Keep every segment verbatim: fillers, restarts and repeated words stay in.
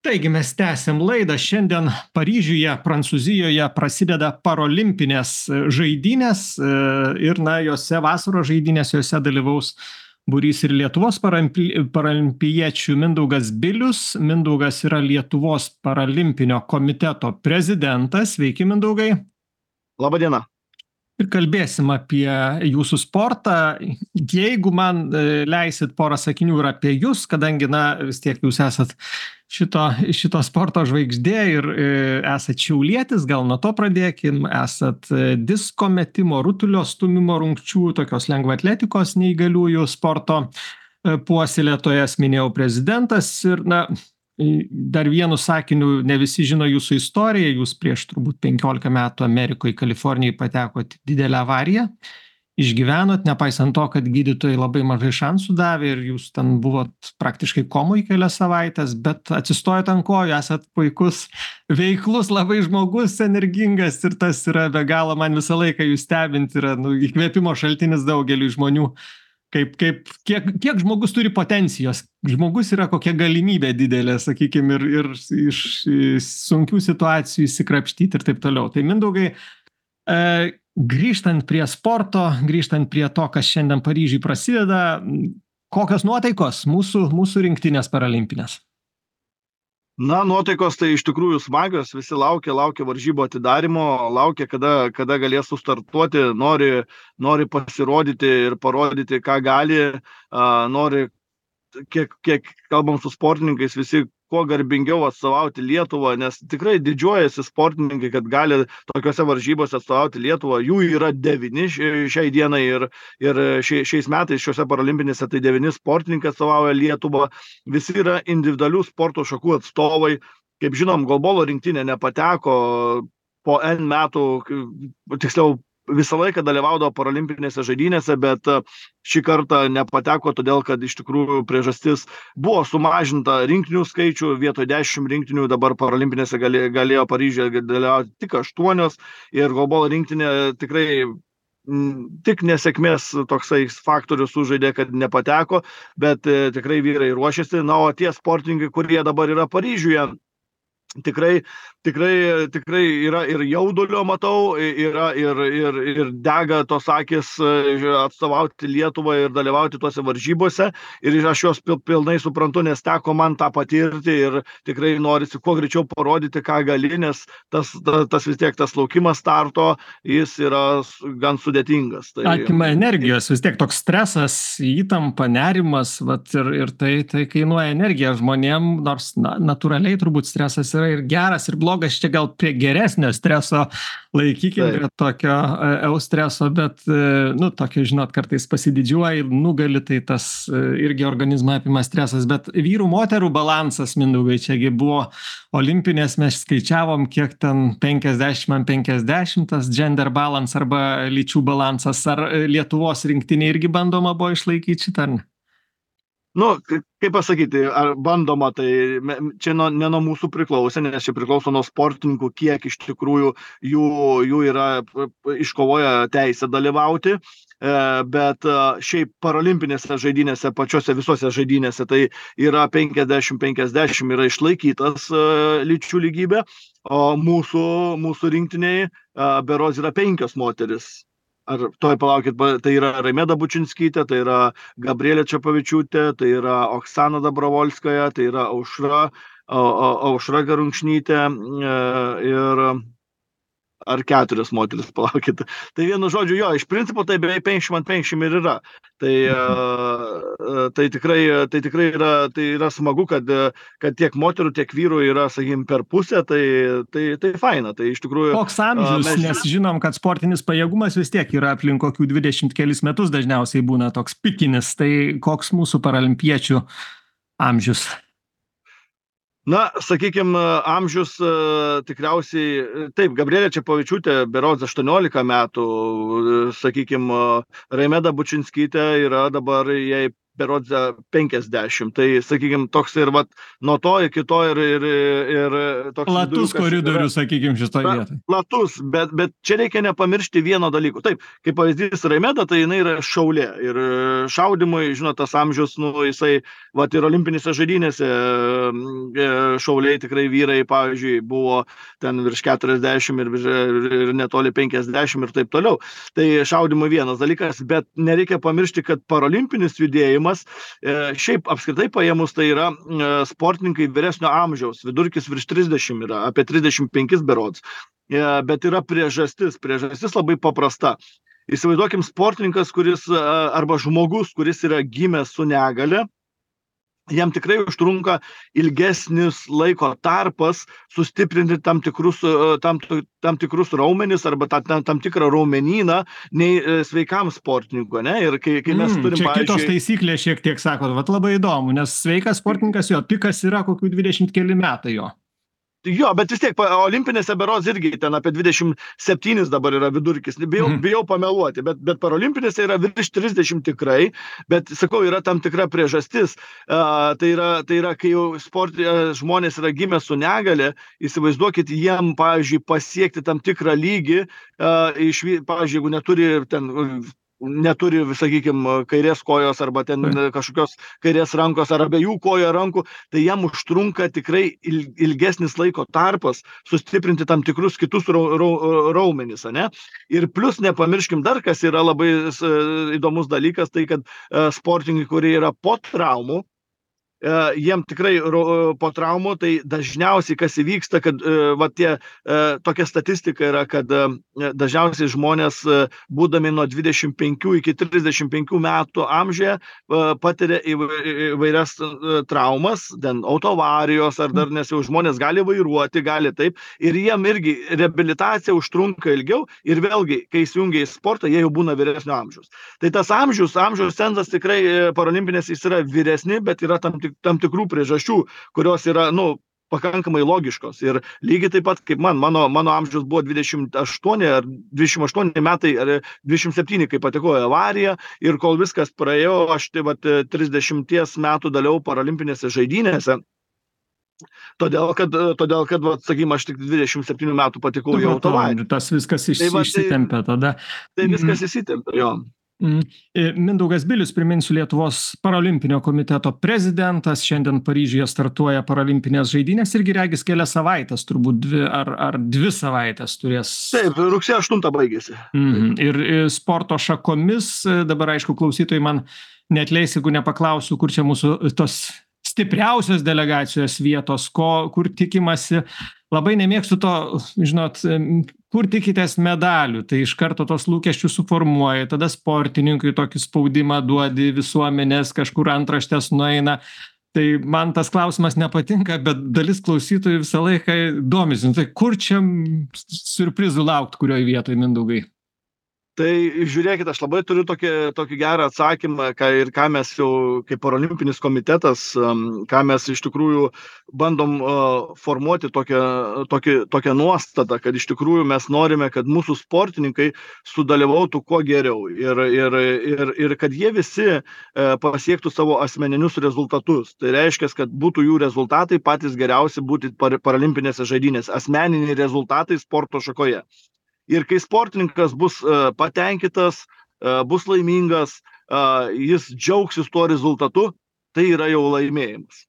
Taigi mes tęsiam laidą. Šiandien Paryžiuje, Prancūzijoje prasideda parolimpinės žaidynės e, ir, na, jose vasaros žaidynės, jose dalyvaus būrys ir Lietuvos parampi, paralimpiečių Mindaugas Bilius. Mindaugas yra Lietuvos paralimpinio komiteto prezidentas. Sveiki, Mindaugai. Labą dieną. Ir kalbėsim apie jūsų sportą. Jeigu man leisit porą sakinių ir apie jūs, kadangi, na, vis tiek jūs esat šito, šito sporto žvaigždė ir e, esat šiaulietis, gal nuo to pradėkim, esat disko metimo, rutulio stumimo rungčių, tokios lengvaatletikos neįgaliųjų sporto puoselėtojas, minėjau, prezidentas ir, na, dar vienu sakiniu, ne visi žino jūsų istoriją, jūs prieš turbūt penkiolika metų Amerikoje, Kalifornijoje patekot didelę avariją, išgyvenot, nepaisant to, kad gydytojai labai mažai šansų davė ir jūs ten buvot praktiškai komoj kelias savaitės, bet atsistojot ant kojų, esat puikus, veiklus, labai žmogus, energingas ir tas yra be galo, man visą laiką jūs stebint, yra, nu, įkvėpimo šaltinis daugeliui žmonių. Kaip, kaip, kiek, kiek žmogus turi potencijos, žmogus yra kokia galimybė didelė, sakykime, ir, ir iš sunkių situacijų įsikrapštyti ir taip toliau. Tai Mindaugai, e, grįžtant prie sporto, grįžtant prie to, kas šiandien Paryžiui prasideda, kokios nuotaikos mūsų, mūsų rinktinės paralimpinės? Na, nuotaikos tai iš tikrųjų smagios, visi laukia, laukia varžybų atidarimo, laukia, kada, kada galės sustartuoti, nori, nori pasirodyti ir parodyti, ką gali, uh, nori, kiek, kiek kalbam su sportininkais, visi kuo garbingiau atstovauti Lietuvą, nes tikrai didžiuojasi sportininkai, kad gali tokiuose varžybose atstovauti Lietuvą. Jų yra devyni šiai dienai ir, ir šiais metais šiuose paralimpinėse tai devyni sportininkai atstovauja Lietuvą. Visi yra individualių sporto šakų atstovai. Kaip žinom, golbolo rinktinė nepateko po N metų, tiksliau, visą laiką dalyvaudavo paralimpinėse žaidynėse, bet šį kartą nepateko, todėl kad iš tikrųjų priežastis buvo sumažinta rinktinių skaičių, vietoj dešimt rinktinių dabar paralimpinėse galėjo, galėjo Paryžiuje dalyvauti tik aštuonios ir golbolo rinktinė tikrai m, tik nesėkmės toksai faktorius sužaidė, kad nepateko, bet e, tikrai vyrai ruošiasi. Na, o tie sportininkai, kurie dabar yra Paryžiuje, Tikrai, tikrai, tikrai yra ir jaudulio, matau, yra ir, ir, ir dega tos akis atstovauti Lietuvą ir dalyvauti tuose varžybose. Ir aš juos pilnai suprantu, nes teko man tą patirti ir tikrai norisi kuo greičiau parodyti, ką gali, nes tas, tas, tas vis tiek tas laukimas starto, jis yra gan sudėtingas. Tai, atima energijos, vis tiek toks stresas, įtampa, nerimas, vat, ir, ir tai, tai kainuoja energiją žmonėm, nors na, natūraliai turbūt stresas yra ir geras, ir blogas, čia gal prie geresnio streso laikykime, prie tokio eustreso, bet, nu, tokio, žinot, kartais pasididžiuoji, nugali, tai tas irgi organizmą apima stresas, bet vyrų moterų balansas, Mindaugai, čiagi buvo olimpinės, mes skaičiavom, kiek ten penkiasdešimt ant penkiasdešimt, tas gender balance arba lyčių balansas, ar Lietuvos rinktinė irgi bandoma buvo išlaikyti šitą, ar ne? Nu, kaip pasakyti, ar bandoma, tai čia nuo, ne nuo mūsų priklauso, nes čia priklauso nuo sportininkų, kiek iš tikrųjų jų, jų yra iškovoję teisę dalyvauti, bet šiaip paralimpinėse žaidynėse, pačiose visose žaidynėse, tai yra penkiasdešimt penkiasdešimt yra išlaikytas lyčių lygybė, o mūsų, mūsų rinktiniai berods yra penkios moteris. Ar toj palaukit, tai yra Raimeda Bučinskytė, tai yra Gabrielė Čepavičiūtė, tai yra Oksana Dabrovolskaja, tai yra Aušra, Aušra Garunčnytė ir ar keturios moteris, palaukit. Tai vienu žodžiu, jo, iš principo tai beveik penkiasdešimt ant penkiasdešimt ir yra. Tai, tai, tikrai, tai tikrai yra, tai yra smagu, kad, kad tiek moterų, tiek vyrų yra, sakykim, per pusę, tai, tai, tai faina. Tai iš tikrųjų... Koks amžius, mes... nes žinom, kad sportinis pajėgumas vis tiek yra aplink kokių dvidešimt kelis metus dažniausiai būna toks pikinis. Tai koks mūsų paralimpiečių amžius? Na, sakykime, amžius tikriausiai, taip, Gabrielė Čepavičiūtė berods aštuoniolika metų, sakykime, Raimeda Bučinskytė yra dabar, jai berods penkiasdešimt. Tai, sakykime, toks ir vat, nuo to iki to ir, ir, ir toks platus koridorius, sakykime, šitoje vietoje. Platus, bet, bet čia reikia nepamiršti vieno dalyko. Taip, kaip pavyzdys Raimeda, tai jinai yra šaulė. Ir šaudimui, žinot, tas amžius, nu, jisai, vat ir olimpinėse žaidynėse šauliai tikrai vyrai, pavyzdžiui, buvo ten virš keturiasdešimt ir, ir netoli penkiasdešimt ir taip toliau. Tai šaudimui vienas dalykas, bet nereikia pamiršti, kad parolimpinis judėjimas, šiaip apskritai paėmus, tai yra sportininkai vyresnio amžiaus, vidurkis virš trisdešimt yra, apie trisdešimt penkis berods, bet yra priežastis, priežastis labai paprasta. Įsivaizduokim sportininkas, kuris, arba žmogus, kuris yra gimęs su negale, jam tikrai užtrunka ilgesnis laiko tarpas sustiprinti tam tikrus, tam, tam tikrus raumenis arba ta, tam, tam tikrą raumenyną nei sveikam sportininkui, ne? Ir kai, kai mes mm, turim, čia pavyzdžiui... kitos taisyklės šiek tiek sakot, vat labai įdomu, nes sveikas sportininkas jo, pikas yra kokių dvidešimt keli metai jo. Jo, bet vis tiek olimpinėse berods irgi ten apie dvidešimt septynis dabar yra vidurkis. Bijau, mm. bijau pameluoti, bet, bet parolimpinėse yra virš trisdešimt tikrai, bet, sakau, yra tam tikra priežastis. Uh, tai, yra, tai yra, kai jau sport, uh, žmonės yra gimę su negale, įsivaizduokit, jiem, pavyzdžiui, pasiekti tam tikrą lygį, uh, iš, pavyzdžiui, jeigu neturi ten... neturi, sakykime, kairės kojos arba ten kažkokios kairės rankos ar abiejų kojo rankų, tai jam užtrunka tikrai ilgesnis laiko tarpas sustiprinti tam tikrus kitus raumenis, ane? Ir plus nepamirškim dar, kas yra labai įdomus dalykas, tai kad sportininkai, kurie yra po traumų, jiem tikrai po traumų, tai dažniausiai kas įvyksta, kad va tie, tokia statistika yra, kad dažniausiai žmonės, būdami nuo dvidešimt penkių iki trisdešimt penkių metų amžiuje, patiria įvairias traumas, ten autoavarijos, ar dar nes jau žmonės gali vairuoti, gali taip, ir jiem irgi reabilitacija užtrunka ilgiau, ir vėlgi, kai įsijungia į sportą, jie jau būna vyresnio amžiaus. Tai tas amžius, amžiaus cenzas tikrai parolimpinės jis yra vyresni, bet yra tam tik tam tikrų priežasčių, kurios yra, nu, pakankamai logiškos. Ir lygiai taip pat, kaip man, mano, mano amžius buvo dvidešimt aštuoni ar dvidešimt aštuoni metai, ar dvidešimt septyni, kai pateko į avariją, ir kol viskas praėjo, aš tai vat trisdešimties metų dalyvau parolimpinėse žaidynėse. Todėl, kad, todėl, kad vat, sakykime, aš tik dvidešimt septynių metų patekau į autoavariją. Tas viskas iš, tai, va, išsitempė tada. Tai viskas mm. išsitempė, jo. Mindaugas Bilius, priminsiu, Lietuvos parolimpinio komiteto prezidentas, šiandien Paryžiuje startuoja parolimpinės žaidynės, irgi regis kelias savaitės, turbūt dvi ar, ar dvi savaitės turės. Taip, rugsėjo aštuntą baigėsi. Mhm. Ir sporto šakomis, dabar aišku, klausytojai man neatleis, jeigu nepaklausiu, kur čia mūsų tos stipriausios delegacijos vietos, ko, kur tikimasi. Labai nemėgstu to, žinot, kur tikitės medalių, tai iš karto tos lūkesčius suformuoja, tada sportininkui tokį spaudimą duodi, visuomenės kažkur antraštės nueina. Tai man tas klausimas nepatinka, bet dalis klausytojų visą laiką domisi. Tai kur čia siurprizų laukt, kurioje vietoje, Mindaugai? Tai žiūrėkit, aš labai turiu tokį, tokį gerą atsakymą, ką, ir ką mes jau kaip parolimpinis komitetas, ką mes iš tikrųjų bandom uh, formuoti tokią, tokį, tokią nuostatą, kad iš tikrųjų mes norime, kad mūsų sportininkai sudalyvautų kuo geriau ir, ir, ir, ir kad jie visi uh, pasiektų savo asmeninius rezultatus. Tai reiškia, kad būtų jų rezultatai patys geriausi būti par, paralimpinėse žaidynėse, asmeniniai rezultatai sporto šakoje. Ir kai sportininkas bus uh, patenkintas, uh, bus laimingas, uh, jis džiaugsis tuo rezultatu, tai yra jau laimėjimas.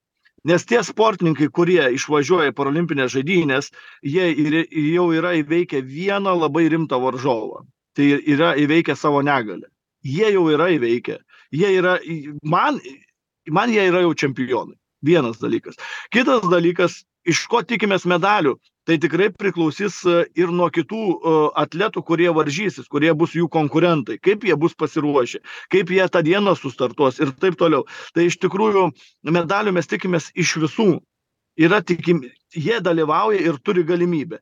Nes tie sportininkai, kurie išvažiuoja į parolimpinės žaidynės, jie ir, jau yra įveikę vieną labai rimtą varžovą. Tai yra įveikę savo negalę. Jie jau yra įveikę. Jie yra, man, man jie yra jau čempionai. Vienas dalykas. Kitas dalykas, iš ko tikimės medalių, tai tikrai priklausys ir nuo kitų atletų, kurie varžysis, kurie bus jų konkurentai, kaip jie bus pasiruošę, kaip jie tą dieną sustartuos ir taip toliau. Tai iš tikrųjų medalių mes tikimės iš visų. Yra tikim, jie dalyvauja ir turi galimybę.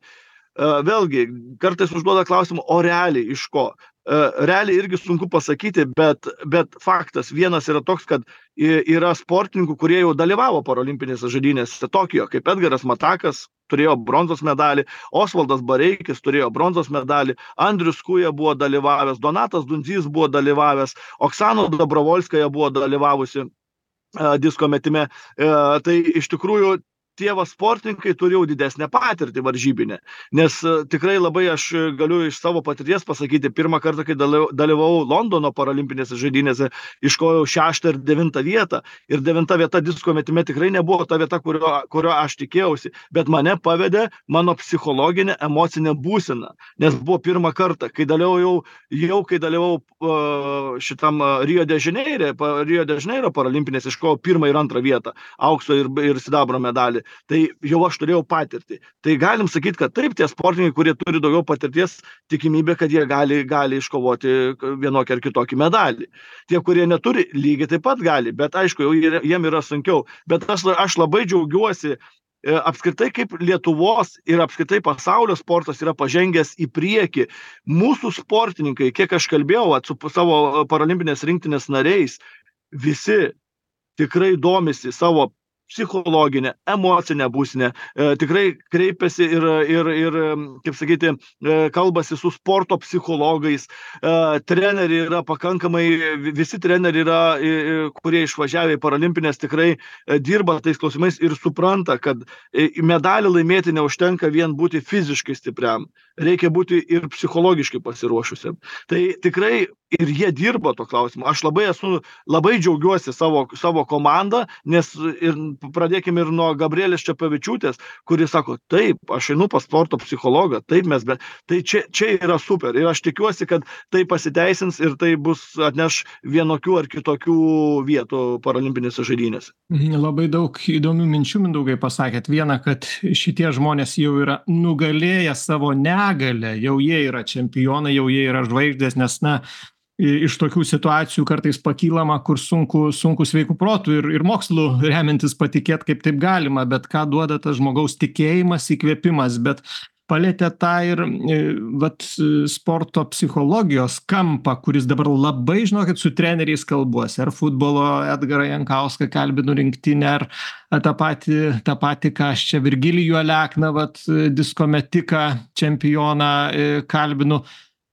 Vėlgi, kartais užduoda klausimą, o realiai iš ko? Realiai irgi sunku pasakyti, bet, bet faktas vienas yra toks, kad yra sportininkų, kurie jau dalyvavo parolimpinėse žaidynėse Tokijo, kaip Edgaras Matakas, turėjo bronzos medalį, Osvaldas Bareikis turėjo bronzos medalį, Andrius Kuja buvo dalyvavęs, Donatas Dundzys buvo dalyvavęs, Oksana Dobrovolskaja buvo dalyvavusi disko metime. Tai iš tikrųjų tie va sportininkai turi jau didesnę patirtį varžybinę, nes tikrai labai aš galiu iš savo patirties pasakyti, pirmą kartą, kai dalyvavau Londono paralimpinėse žaidynėse, iškovojau šeštą ir devintą vietą, ir devinta vieta disko metime tikrai nebuvo ta vieta, kurio, kurio aš tikėjausi, bet mane pavedė mano psichologinė emocinė būsena, nes buvo pirmą kartą, kai dalyvau jau, jau kai dalyvau uh, šitam Rio de Janeiro, Rio de Janeiro paralimpinėse, iškovojau pirmą ir antrą vietą, aukso ir, ir sidabro medalį. Tai jau aš turėjau patirtį. Tai galim sakyti, kad taip, tie sportininkai, kurie turi daugiau patirties, tikimybė, kad jie gali, gali iškovoti vienokį ar kitokį medalį. Tie, kurie neturi, lygiai taip pat gali, bet aišku, jau jiem yra sunkiau. Bet aš, aš labai džiaugiuosi apskritai, kaip Lietuvos ir apskritai pasaulio sportas yra pažengęs į priekį. Mūsų sportininkai, kiek aš kalbėjau su savo paralimpinės rinktinės nariais, visi tikrai domisi savo psichologinę, emocinę būsinę, e, tikrai kreipiasi ir, ir, ir, kaip sakyti, e, kalbasi su sporto psichologais, e, treneriai yra pakankamai, visi treneriai yra, e, kurie išvažiavę į paralimpinės, tikrai e, dirba tais klausimais ir supranta, kad e, medalį laimėti neužtenka vien būti fiziškai stipriam, reikia būti ir psichologiškai pasiruošusiam. Tai tikrai ir jie dirba to klausimu. Aš labai esu, labai džiaugiuosi savo, savo komandą, nes ir pradėkime ir nuo Gabrielės Čepavičiūtės, kuris sako, taip, aš einu pas sporto psichologą, taip mes, bet tai čia, čia yra super. Ir aš tikiuosi, kad tai pasiteisins ir tai bus atneš vienokių ar kitokių vietų paralimpinėse žaidynėse. Labai daug įdomių minčių, Mindaugai, pasakėt. Viena, kad šitie žmonės jau yra nugalėję savo negalę, jau jie yra čempionai, jau jie yra žvaigždės, nes, na, iš tokių situacijų kartais pakylama, kur sunku, sunku sveikų protų ir, ir mokslu remiantis patikėt, kaip taip galima, bet ką duoda tas žmogaus tikėjimas, įkvėpimas, bet palėtė tą ir vat, sporto psichologijos kampą, kuris dabar labai, žinokit, su treneriais kalbuosi, ar futbolo Edgarą Jankauską kalbinu rinktinę, ar tą patį, tą patį, ką aš čia Virgilijų Alekną, vat, diskometiką čempioną kalbinu.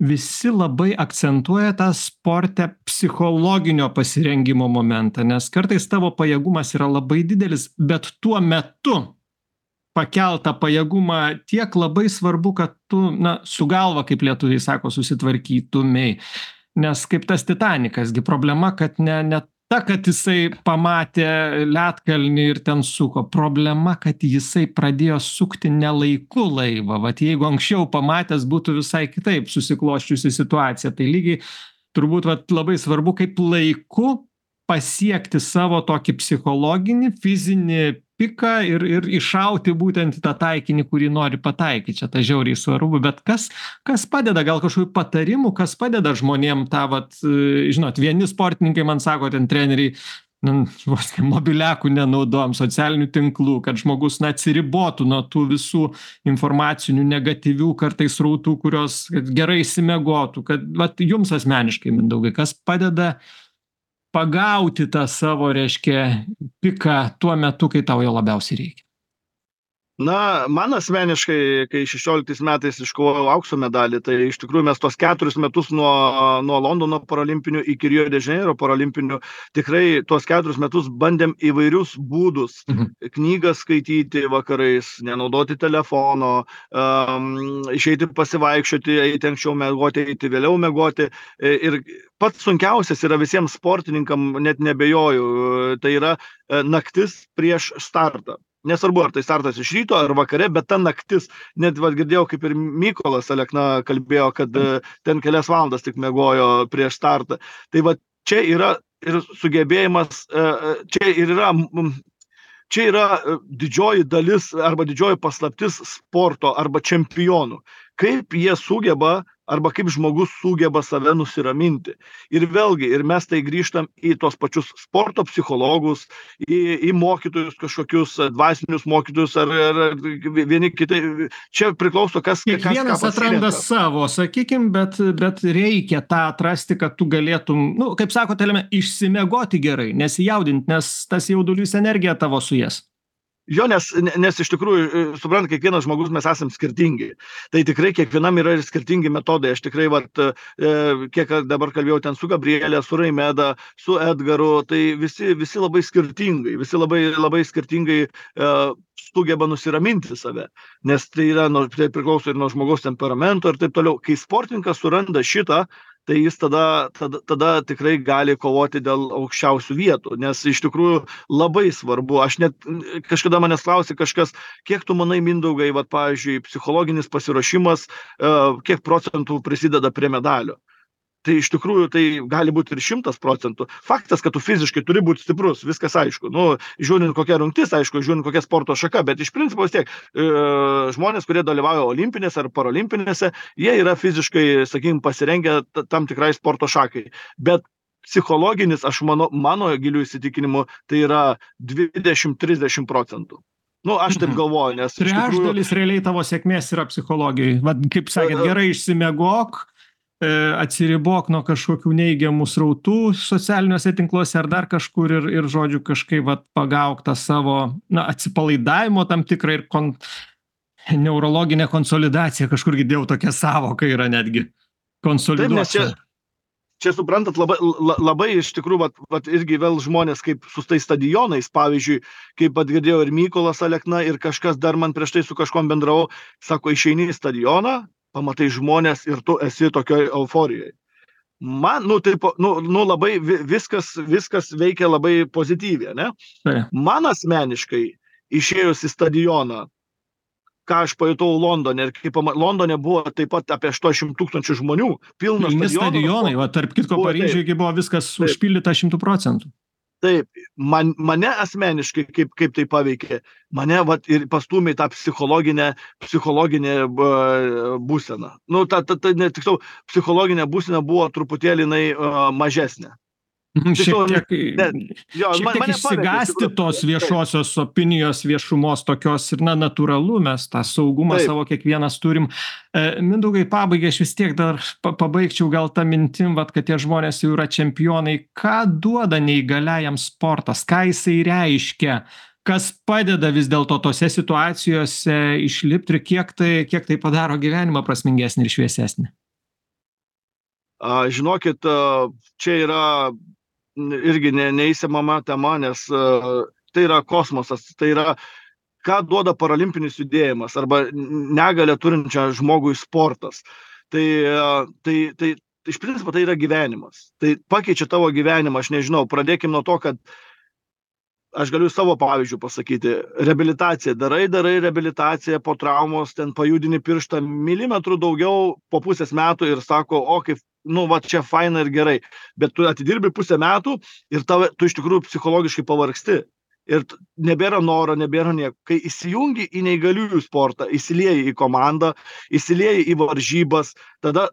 Visi labai akcentuoja tą sporte psichologinio pasirengimo momentą, nes kartais tavo pajėgumas yra labai didelis, bet tuo metu pakeltą pajėgumą tiek labai svarbu, kad tu, na, su galva, kaip lietuviai sako, susitvarkytumei. Nes kaip tas Titanikas, gi problema, kad ne, ne ta, kad jisai pamatė ledkalnį ir ten suko. Problema, kad jisai pradėjo sukti ne laiku laivą. Vat jeigu anksčiau pamatęs būtų visai kitaip susikloščiusi situacija, tai lygiai turbūt vat, labai svarbu, kaip laiku pasiekti savo tokį psichologinį, fizinį piką ir, ir iššauti būtent tą taikinį, kurį nori pataikyti. Čia ta žiauriai svarbu, bet kas, kas padeda, gal kažkokių patarimų, kas padeda žmonėm tą, vat, žinot, vieni sportininkai man sako, ten treneriai, nu, mobiliakų nenaudojam, socialinių tinklų, kad žmogus, na, atsiribotų nuo tų visų informacinių negatyvių kartais srautų, kurios gerai išsimiegotų, kad, vat, jums asmeniškai, Mindaugai, kas padeda pagauti tą savo, reiškia, piką tuo metu, kai tau jo labiausiai reikia? Na, man asmeniškai, kai šešioliktais metais iškovojau aukso medalį, tai iš tikrųjų mes tos keturis metus nuo, nuo Londono paralimpinių iki Rio de Janeiro paralimpinių, tikrai tuos keturis metus bandėm įvairius būdus, mhm. knygas skaityti vakarais, nenaudoti telefono, um, išeiti pasivaikščioti, eiti anksčiau miegoti, eiti vėliau miegoti. Ir pats sunkiausias yra visiems sportininkam, net nebejoju, tai yra naktis prieš startą. Nesvarbu, ar tai startas iš ryto ar vakare, bet ta naktis, net va, girdėjau, kaip ir Mykolas Alekna kalbėjo, kad ten kelias valandas tik miegojo prieš startą. Tai va, čia yra ir sugebėjimas, čia ir yra, čia yra didžioji dalis arba didžioji paslaptis sporto arba čempionų. Kaip jie sugeba arba kaip žmogus sugeba save nusiraminti. Ir vėlgi, ir mes tai grįžtam į tos pačius sporto psichologus, į, į mokytojus kažkokius, dvasinius mokytojus, ar, ar vieni kitai. Čia priklauso, kas... Kiekvienas kas atranda savo, sakykim, bet, bet reikia tą atrasti, kad tu galėtum, nu, kaip sako, telėme, išsimiegoti gerai, nesijaudinti, nes tas jaudulys energija tavo suės. Jo, nes, nes iš tikrųjų, suprant, kiekvienas žmogus mes esame skirtingi. Tai tikrai kiekvienam yra ir skirtingi metodai. Aš tikrai, vat, kiek dabar kalbėjau ten su Gabrielė, su Raimeda, su Edgaru, tai visi, visi labai skirtingai, visi labai, labai skirtingai uh, sugeba nusiraminti save. Nes tai, yra, nu, tai priklauso ir nuo žmogaus temperamento ir taip toliau. Kai sportininkas suranda šitą, tai jis tada, tada, tada tikrai gali kovoti dėl aukščiausių vietų, nes iš tikrųjų labai svarbu. Aš net kažkada manęs klausė kažkas, kiek tu manai, Mindaugai, vat, pavyzdžiui, psichologinis pasiruošimas, kiek procentų prisideda prie medalio. Tai iš tikrųjų tai gali būti ir šimtas procentų. Faktas, kad tu fiziškai turi būti stiprus, viskas aišku. Nu, žiūrint kokia rungtis, aišku, žiūrint kokia sporto šaka, bet iš principo vis tiek e, žmonės, kurie dalyvauja olimpinėse ar parolimpinėse, jie yra fiziškai, sakykime, pasirengę tam tikrai sporto šakai. Bet psichologinis, aš mano, mano gilių įsitikinimu, tai yra dvidešimt trisdešimt procentų. Nu, aš taip galvoju, nes... Trečdalis tikrųjų... realiai tavo sėkmės yra psichologijai. Vat, kaip sakėt, gerai išsimiegok, atsiribok nuo kažkokių neigiamų srautų socialiniuose tinkluose ar dar kažkur ir, ir žodžiu, kažkaip vat, pagauk tą savo na, atsipalaidavimo tam tikrą ir kon... neurologinę konsolidaciją, kažkur girdėjau tokia savoka yra netgi konsoliduoti. Čia suprantat, labai, labai iš tikrųjų, vat, vat irgi vėl žmonės kaip su tais stadionais, pavyzdžiui, kaip atgirdėjau ir Mykolas Alekna ir kažkas dar man prieš tai su kažkom bendravau, sako, išeini į stadioną, pamatai žmonės ir tu esi tokioj euforijoje. Man, nu, taip, nu, nu labai viskas, viskas veikia labai pozityviai, ne? Tai. Man asmeniškai išėjus į stadioną, ką aš pajutau Londone, ir kaip Londone buvo taip pat apie aštuoniasdešimt tūkstančių žmonių, pilnas stadionas. Stadionai, va, tarp kitko Paryžiuje buvo viskas taip. Užpildyta šimtų procentų. Taip, man, mane asmeniškai kaip, kaip tai paveikė, mane vat, ir pastūmė tą psichologinę, psichologinę būseną. Nu, ta, ta, ta, ne, tiksliau, psichologinė būsena buvo truputėlį jinai uh, mažesnė. Šiek tiek, ne, jo, šiek tiek išsigąsti tos viešosios opinijos, viešumos tokios ir na, natūralu, mes tą saugumą Taip. Savo kiekvienas turim. E, Mindaugai, pabaigai, aš vis tiek dar pabaigčiau gal tą mintim, vat, kad tie žmonės jau yra čempionai. Ką duoda neįgaliajam sportas? Ką jisai reiškia? Kas padeda vis dėlto tose situacijose išlipti ir kiek tai, kiek tai padaro gyvenimą prasmingesnį ir šviesesnį? A, žinokit, čia yra irgi ne, neįsimama tema, nes uh, tai yra kosmosas, tai yra, ką duoda paralimpinis judėjimas arba negalę turinčią žmogui sportas. Tai, uh, tai, tai iš principo tai yra gyvenimas. Tai pakeičia tavo gyvenimą, aš nežinau, pradėkim nuo to, kad aš galiu savo pavyzdžių pasakyti. Reabilitacija, darai, darai reabilitaciją po traumos, ten pajudini pirštą milimetrų daugiau po pusės metų ir sako, o kaip nu, va, čia faina ir gerai, bet tu atidirbi pusę metų ir tave, tu iš tikrųjų psichologiškai pavargsti. Ir nebėra noro, nebėra nieko. Kai įsijungi į neįgaliųjų sportą, įsilieji į komandą, įsilieji į varžybas, tada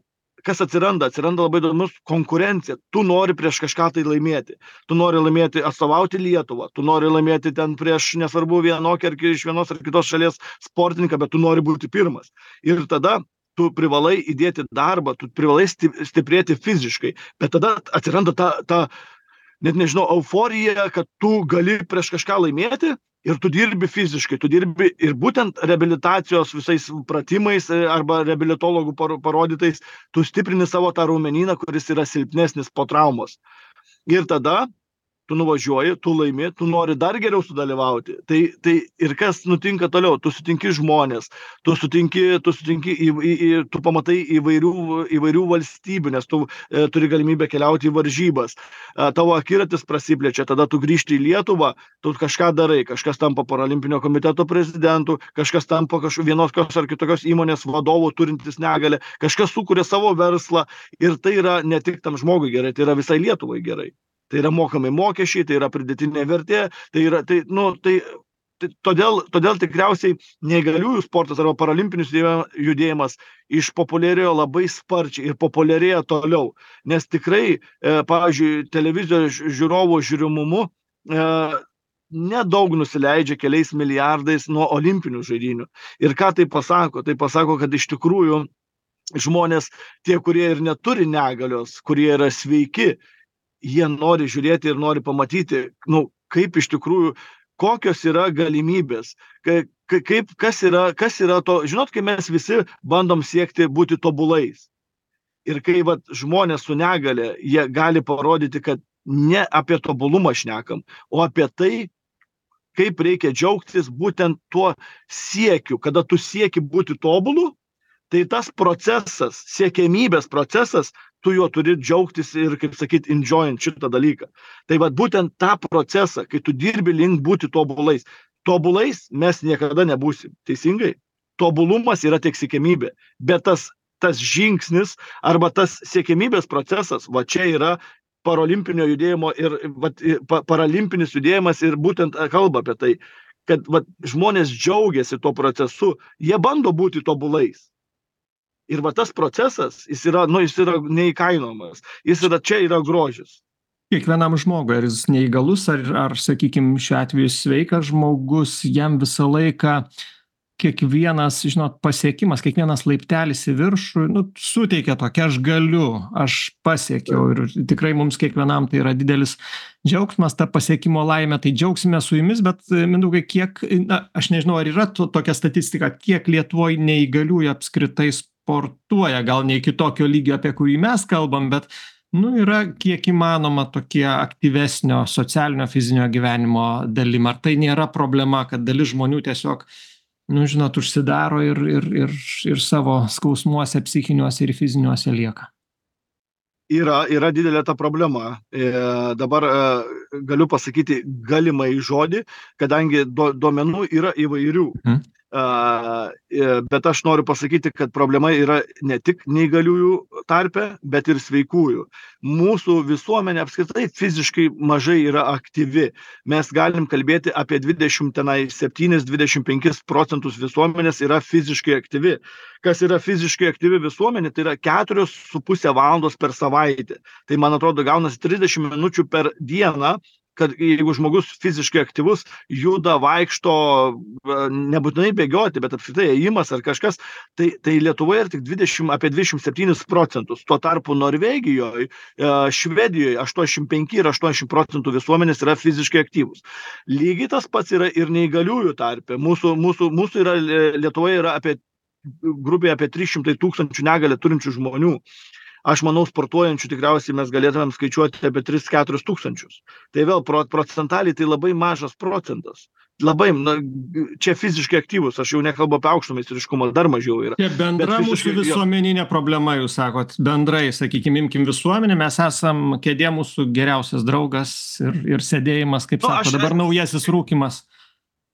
kas atsiranda? Atsiranda labai įdomus konkurencija. Tu nori prieš kažką tai laimėti. Tu nori laimėti, atstovauti Lietuvą. Tu nori laimėti ten prieš, nesvarbu, vienokį ar iš vienos ar kitos šalies sportininką, bet tu nori būti pirmas. Ir tada tu privalai įdėti darbą, tu privalai stiprėti fiziškai, bet tada atsiranda ta, ta net nežinau, euforija, kad tu gali prieš kažką laimėti ir tu dirbi fiziškai, tu dirbi ir būtent reabilitacijos visais pratimais arba reabilitologų parodytais, tu stiprini savo tą raumenyną, kuris yra silpnesnis po traumos. Ir tada tu nuvažiuoji, tu laimi, tu nori dar geriau sudalyvauti. Tai, tai ir kas nutinka toliau? Tu sutinki žmonės, tu sutinki, tu sutinki, į, į, į, tu pamatai įvairių, įvairių valstybių, nes tu e, turi galimybę keliauti į varžybas. E, tavo akiratis prasiplečia, tada tu grįžti į Lietuvą, tu kažką darai, kažkas tampa paralimpinio komiteto prezidentu, kažkas tampa kažkokios vienos ar kitokios įmonės vadovų turintis negalę, kažkas sukuria savo verslą ir tai yra ne tik tam žmogui gerai, tai yra visai Lietuvai gerai. Tai yra mokami mokesčiai, tai yra pridėtinė vertė, tai yra, tai, nu, tai, tai todėl, todėl tikriausiai neįgaliųjų sportas arba paralimpinis judėjimas išpopuliarėjo labai sparčiai ir populiarėja toliau, nes tikrai, e, pavyzdžiui, televizijos žiūrovų žiūrimumu e, nedaug nusileidžia keliais milijardais nuo olimpinių žaidynių. Ir ką tai pasako? Tai pasako, kad iš tikrųjų žmonės, tie, kurie ir neturi negalios, kurie yra sveiki, jie nori žiūrėti ir nori pamatyti, nu, kaip iš tikrųjų kokios yra galimybės, kaip, kas yra, kas yra to, žinot, kai mes visi bandom siekti būti tobulais. Ir kai vat, žmonės su negale, jie gali parodyti, kad ne apie tobulumą šnekam, o apie tai, kaip reikia džiaugtis būtent tuo siekiu. Kada tu sieki būti tobulu, tai tas procesas, siekiamybės procesas, tu juo turi džiaugtis ir, kaip sakyt, enjoying šitą dalyką. Tai vat būtent tą procesą, kai tu dirbi link būti tobulais. Tobulais mes niekada nebūsim, teisingai? Tobulumas yra tik siekiamybė, bet tas, tas žingsnis arba tas siekiamybės procesas, va čia yra parolimpinio judėjimo ir va, paralimpinis judėjimas ir būtent kalba apie tai, kad va, žmonės džiaugiasi tuo procesu, jie bando būti tobulais. Ir va tas procesas, jis yra, nu, jis yra neįkainojamas, jis yra, čia yra grožis. Kiekvienam žmogui, ar jis neįgalus, ar, ar sakykime, šiuo atveju sveikas žmogus, jam visą laiką kiekvienas, žinot, pasiekimas, kiekvienas laiptelis į viršų, nu, suteikia tokia, aš galiu, aš pasiekiau ir tikrai mums kiekvienam tai yra didelis džiaugsmas, ta pasiekimo laimė, tai džiaugsime su jumis, bet Mindaugai, kiek, na, aš nežinau, ar yra to, tokia statistika, kiek Lietuvoje neįgaliųjų apskritai sportuoja, gal ne iki tokio lygio, apie kurį mes kalbam, bet nu, yra kiek įmanoma tokie aktyvesnio socialinio fizinio gyvenimo dalim. Ar tai nėra problema, kad dalis žmonių tiesiog, nu, žinot, užsidaro ir, ir, ir, ir savo skausmuose, psichiniuose ir fiziniuose lieka? Yra, yra didelė ta problema. E, dabar e, galiu pasakyti galimai žodį, kadangi do, duomenų yra įvairių. Hmm. Uh, bet aš noriu pasakyti, kad problema yra ne tik neįgaliųjų tarpe, bet ir sveikųjų. Mūsų visuomenė apskritai fiziškai mažai yra aktyvi. Mes galim kalbėti apie dvidešimt septynis dvidešimt penkis procentus visuomenės yra fiziškai aktyvi. Kas yra fiziškai aktyvi visuomenė, tai yra keturios su pusė valandos per savaitę. Tai, man atrodo, gaunasi trisdešimt minučių per dieną, kad jeigu žmogus fiziškai aktyvus, juda, vaikšto, nebūtinai bėgioti, bet apskritai ėjimas ar kažkas, tai, tai Lietuvoje yra tik dvidešimt, apie dvidešimt septynis procentus. Tuo tarpu Norvegijoje, Švedijoje aštuoniasdešimt penki ir aštuoniasdešimt procentų visuomenės yra fiziškai aktyvus. Lygiai tas pats yra ir neįgaliųjų tarpe. Mūsų, mūsų, mūsų yra, Lietuvoje yra apie grubiai apie trys šimtai tūkstančių negalę turinčių žmonių. Aš manau, sportuojančių tikriausiai mes galėtumėm skaičiuoti apie tris keturis tūkstančius. Tai vėl procentaliai tai labai mažas procentas. Labai, na, čia fiziškai aktyvus, aš jau nekalbu apie aukšto meistriškumą, dar mažiau yra. Čia bendra mūsų visuomeninė problema, jūs sakot, bendrai, sakykime, imkim visuomenę, mes esam kėdė mūsų geriausias draugas ir, ir sėdėjimas, kaip nu, sako, aš, dabar naujasis rūkymas.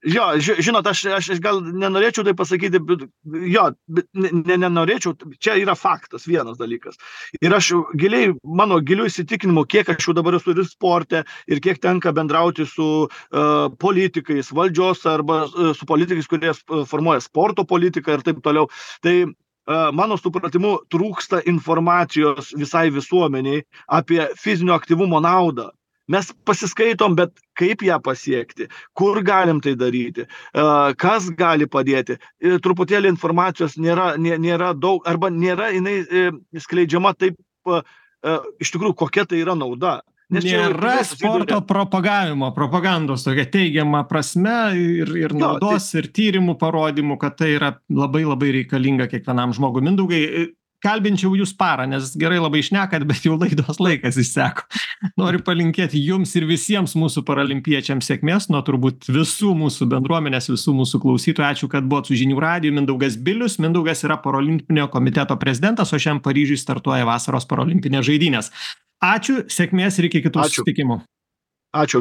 Jo, žinot, aš, aš gal nenorėčiau tai pasakyti, bet, jo, bet ne, nenorėčiau, čia yra faktas, vienas dalykas. Ir aš giliai, mano giliu įsitikinimu, kiek aš jau dabar esu ir sporte, ir kiek tenka bendrauti su uh, politikais, valdžios arba uh, su politikais, kurie formuoja sporto politiką ir taip toliau, tai uh, mano supratimu trūksta informacijos visai visuomeniai apie fizinio aktyvumo naudą. Mes pasiskaitom, bet kaip ją pasiekti, kur galim tai daryti, kas gali padėti. Truputėlį informacijos nėra, nėra daug, arba nėra jinai skleidžiama taip, iš tikrųjų, kokia tai yra nauda. Nes nėra jau, sporto ne... propagavimo, propagandos tokia teigiama prasme ir, ir naudos, jo, tai... ir tyrimų parodymų, kad tai yra labai labai reikalinga kiekvienam žmogui. Mindaugai, kalbinčiau jūs parą, nes gerai labai šnekat, bet jau laidos laikas išseko. Noriu palinkėti jums ir visiems mūsų paralimpiečiams sėkmės, nuo turbūt visų mūsų bendruomenės, visų mūsų klausytojų. Ačiū, kad buvot su Žinių radiju. Mindaugas Bilius. Mindaugas yra parolimpinio komiteto prezidentas, o šiandien Paryžiuje startuoja vasaros parolimpinės žaidynės. Ačiū, sėkmės ir iki kitų susitikimų. Ačiū.